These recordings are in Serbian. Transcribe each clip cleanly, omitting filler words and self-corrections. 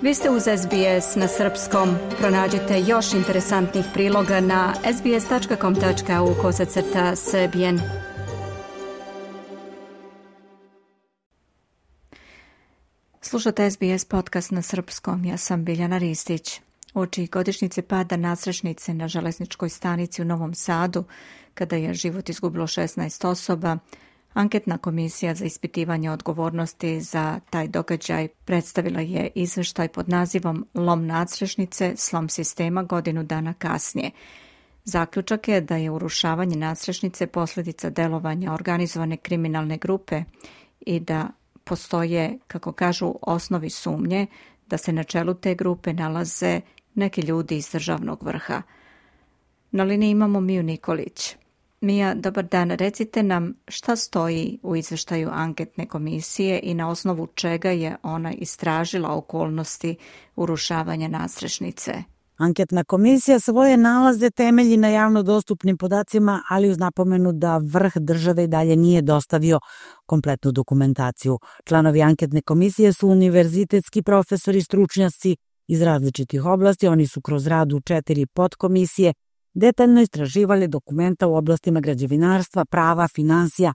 Vi ste uz SBS na srpskom. Pronađite još interesantnih priloga na sbs.com.au/srbijen. Slušate SBS podcast na srpskom. Ja sam Biljana Ristić. Uoči godišnjice pada nadstrešnice na železničkoj stanici u Novom Sadu, kada je život izgubilo 16 osoba, Anketna komisija za ispitivanje odgovornosti za taj događaj predstavila je izveštaj pod nazivom Lom nadstrešnice, slom sistema godinu dana kasnije. Zaključak je da je urušavanje nadstrešnice posljedica delovanja organizovane kriminalne grupe i da postoje, kako kažu, osnovi sumnje da se na čelu te grupe nalaze neki ljudi iz državnog vrha. Na liniji imamo Miju Nikolić. Mija, dobar dan. Recite nam šta stoji u izveštaju anketne komisije i na osnovu čega je ona istražila okolnosti urušavanja nadstrešnice. Anketna komisija svoje nalaze temelji na javno dostupnim podacima, ali uz napomenu da vrh države i dalje nije dostavio kompletnu dokumentaciju. Članovi anketne komisije su univerzitetski profesori, stručnjaci iz različitih oblasti. Oni su kroz rad u 4 podkomisije detaljno istraživali dokumenta u oblastima građevinarstva, prava, finansija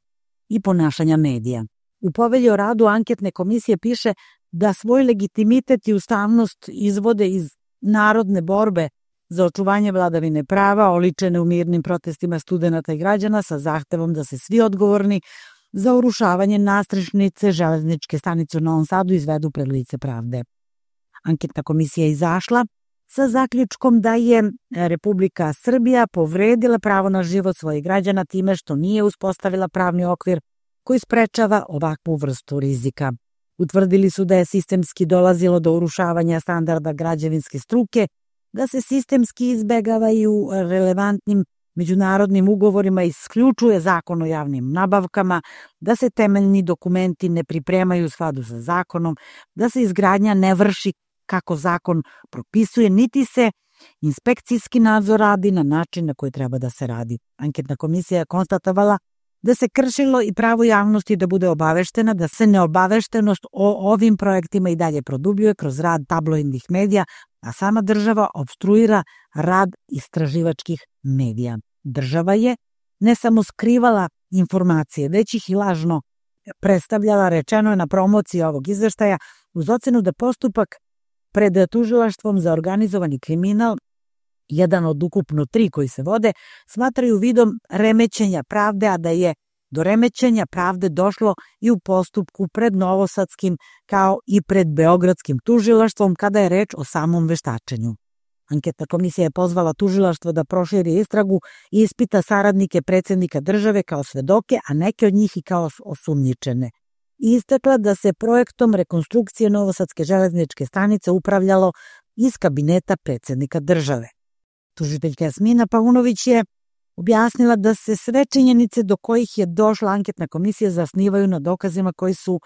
i ponašanja medija. U povelji o radu anketne komisije piše da svoj legitimitet i ustavnost izvode iz narodne borbe za očuvanje vladavine prava, oličene u mirnim protestima studenata i građana sa zahtevom da se svi odgovorni za urušavanje nadstrešnice železničke stanice u Novom Sadu izvedu pred lice pravde. Anketna komisija je izašla sa zaključkom da je Republika Srbija povredila pravo na život svojih građana time što nije uspostavila pravni okvir koji sprečava ovakvu vrstu rizika. Utvrdili su da je sistemski dolazilo do urušavanja standarda građevinske struke, da se sistemski izbegavaju relevantnim međunarodnim ugovorima, isključuje zakon o javnim nabavkama, da se temeljni dokumenti ne pripremaju u skladu sa zakonom, da se izgradnja ne vrši kako zakon propisuje, niti se inspekcijski nadzor radi na način na koji treba da se radi. Anketna komisija je konstatovala da se kršilo i pravo javnosti da bude obaveštena, da se neobaveštenost o ovim projektima i dalje produbljuje kroz rad tabloidnih medija, a sama država opstruira rad istraživačkih medija. Država je ne samo skrivala informacije, već ih i lažno predstavljala, rečeno je na promociji ovog izveštaja, uz ocenu da postupak pred tužilaštvom za organizovani kriminal, jedan od ukupno 3 koji se vode, smatraju vidom remećenja pravde, a da je do remećenja pravde došlo i u postupku pred novosadskim kao i pred beogradskim tužilaštvom kada je reč o samom veštačenju. Anketna komisija je pozvala tužilaštvo da proširi istragu i ispita saradnike predsjednika države kao svedoke, a neke od njih i kao osumnjičene. I istakla da se projektom rekonstrukcije novosadske železničke stanice upravljalo iz kabineta predsjednika države. Tužiteljka Jasmina Paunović je objasnila da se sve činjenice do kojih je došla anketna komisija zasnivaju na dokazima koji su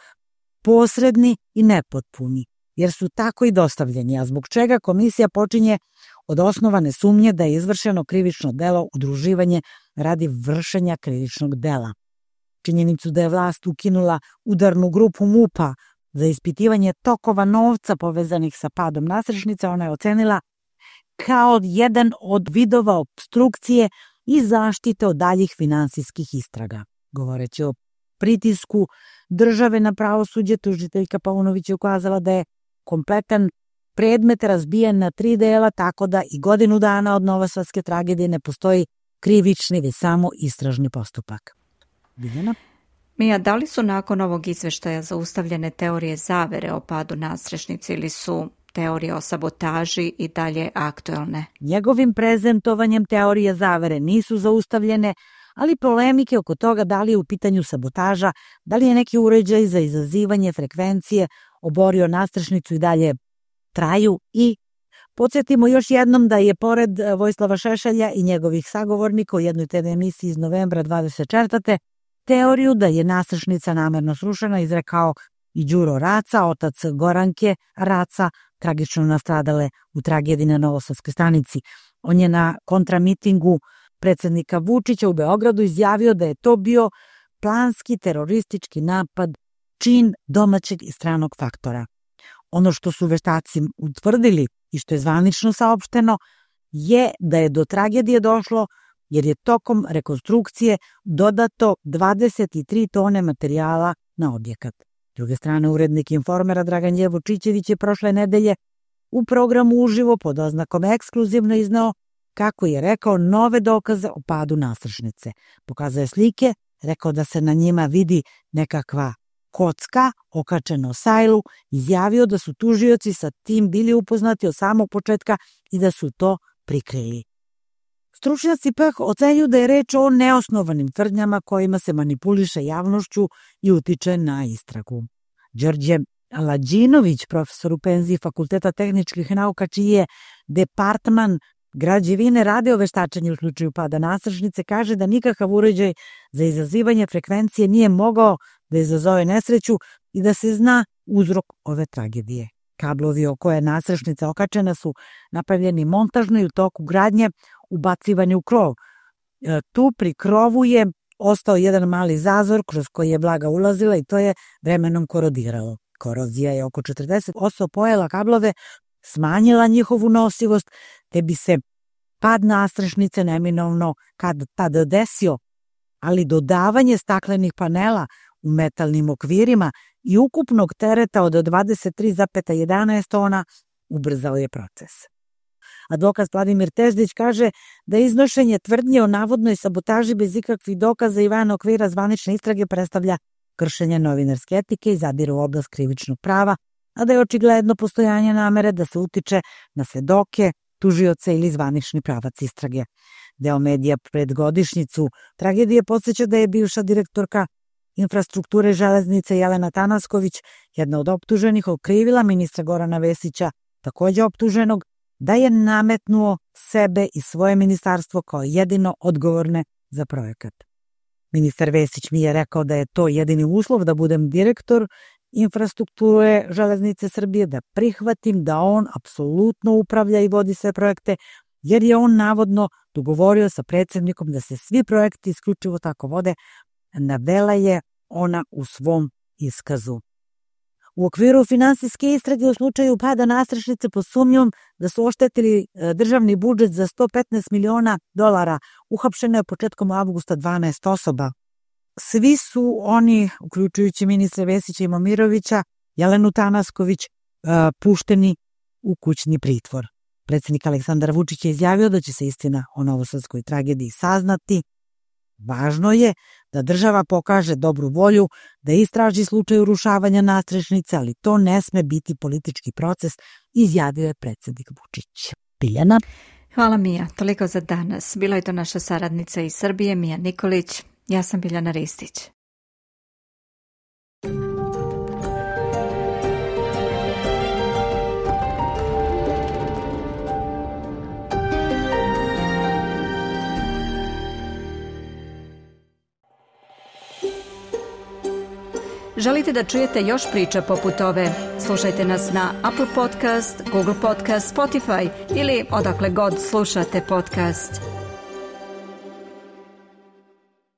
posredni i nepotpuni, jer su tako i dostavljeni, a zbog čega komisija počinje od osnovane sumnje da je izvršeno krivično delo udruživanje radi vršenja krivičnog dela. Činjenicu da je vlast ukinula udarnu grupu MUP-a za ispitivanje tokova novca povezanih sa padom nadstrešnice, ona je ocenila kao jedan od vidova opstrukcije i zaštite od daljih finansijskih istraga. Govoreći o pritisku države na pravosuđe, tužiteljka Paunović je ukazala da je kompletan predmet razbijen na 3 dela, tako da i godinu dana od novosadske tragedije ne postoji krivični, već samo istražni postupak. Biljana? Mija, da li su nakon ovog izveštaja zaustavljene teorije zavere o padu nadstrešnice ili su teorije o sabotaži i dalje aktuelne? Njegovim prezentovanjem teorije zavere nisu zaustavljene, ali polemike oko toga da li je u pitanju sabotaža, da li je neki uređaj za izazivanje frekvencije oborio nadstrešnicu i dalje traju. I podsjetimo još jednom da je pored Vojislava Šešelja i njegovih sagovornika u jednoj TV emisiji iz novembra 24. teoriju da je nadstrešnica namerno srušena izrekao i Đuro Raca, otac Goranke Raca, tragično nastradale u tragediji na novosadskoj stanici. On je na kontramitingu predsjednika Vučića u Beogradu izjavio da je to bio planski teroristički napad, čin domaćeg i stranog faktora. Ono što su veštaci utvrdili i što je zvanično saopšteno je da je do tragedije došlo jer je tokom rekonstrukcije dodato 23 tone materijala na objekat. S druge strane, urednik Informera Dragan Jevučićević je prošle nedelje u programu uživo pod oznakom Ekskluzivno izneo, kako je rekao, nove dokaze o padu nasršnice. Pokazao je slike, rekao da se na njima vidi nekakva kocka okačena o sajlu, izjavio da su tužioci sa tim bili upoznati od samog početka i da su to prikrili. Stručnjaci pak ocenjuju da je reč o neosnovanim tvrdnjama kojima se manipuliše javnošću i utiče na istragu. Đorđe Lađinović, profesor u penziji Fakulteta tehničkih nauka, čiji je departman građevine rade o veštačenju u slučaju pada nasršnice, kaže da nikakav uređaj za izazivanje frekvencije nije mogao da izazove nesreću i da se zna uzrok ove tragedije. Kablovi o koje je nasršnica okačena su napravljeni montažno i u toku gradnje ubacivani u krov. Tu pri krovu je ostao jedan mali zazor kroz koji je vlaga ulazila i to je vremenom korodiralo. Korozija je oko 40% pojela kablove, smanjila njihovu nosivost, te bi se pad nasršnice neminovno kad tada desio, ali dodavanje staklenih panela u metalnim okvirima i ukupnog tereta od 23,11 tona ubrzao je proces. Advokat Vladimir Teždić kaže da iznošenje tvrdnje o navodnoj sabotaži bez ikakvih dokaza i van okvira zvanične istrage predstavlja kršenje novinarske etike i zadire u oblast krivičnog prava, a da je očigledno postojanje namere da se utiče na svedoke, tužioce ili zvanični pravac istrage. Deo medija pred godišnjicu tragedije podsjeća da je bivša direktorka infrastrukture železnice Jelena Tanasković, jedna od optuženih, okrivila ministra Gorana Vesića, takođe optuženog, da je nametnuo sebe i svoje ministarstvo kao jedino odgovorne za projekat. Ministar Vesić mi je rekao da je to jedini uslov da budem direktor infrastrukture železnice Srbije, da prihvatim da on apsolutno upravlja i vodi sve projekte, jer je on navodno dogovorio sa predsjednikom da se svi projekti isključivo tako vode, navela je ona u svom iskazu. U okviru finansijske istrage u slučaju pada nasršnice pod sumnjom da su oštetili državni budžet za $115 miliona, uhapšeno je početkom avgusta 12 osoba. Svi su oni, uključujući ministra Vesića i Momirovića, Jelenu Tanasković, pušteni u kućni pritvor. Predsjednik Aleksandar Vučić je izjavio da će se istina o novosadskoj tragediji saznati. Važno je da država pokaže dobru volju, da istraži slučaj urušavanja nasrešnice, ali to ne sme biti politički proces, izjavio je predsjednik Vučić. Biljana. Hvala Mija, toliko za danas. Bila je to naša saradnica iz Srbije, Mija Nikolić. Ja sam Biljana Ristić. Želite da čujete još priča poput ove? Slušajte nas na Apple Podcast, Google Podcast, Spotify ili odakle god slušate podcast.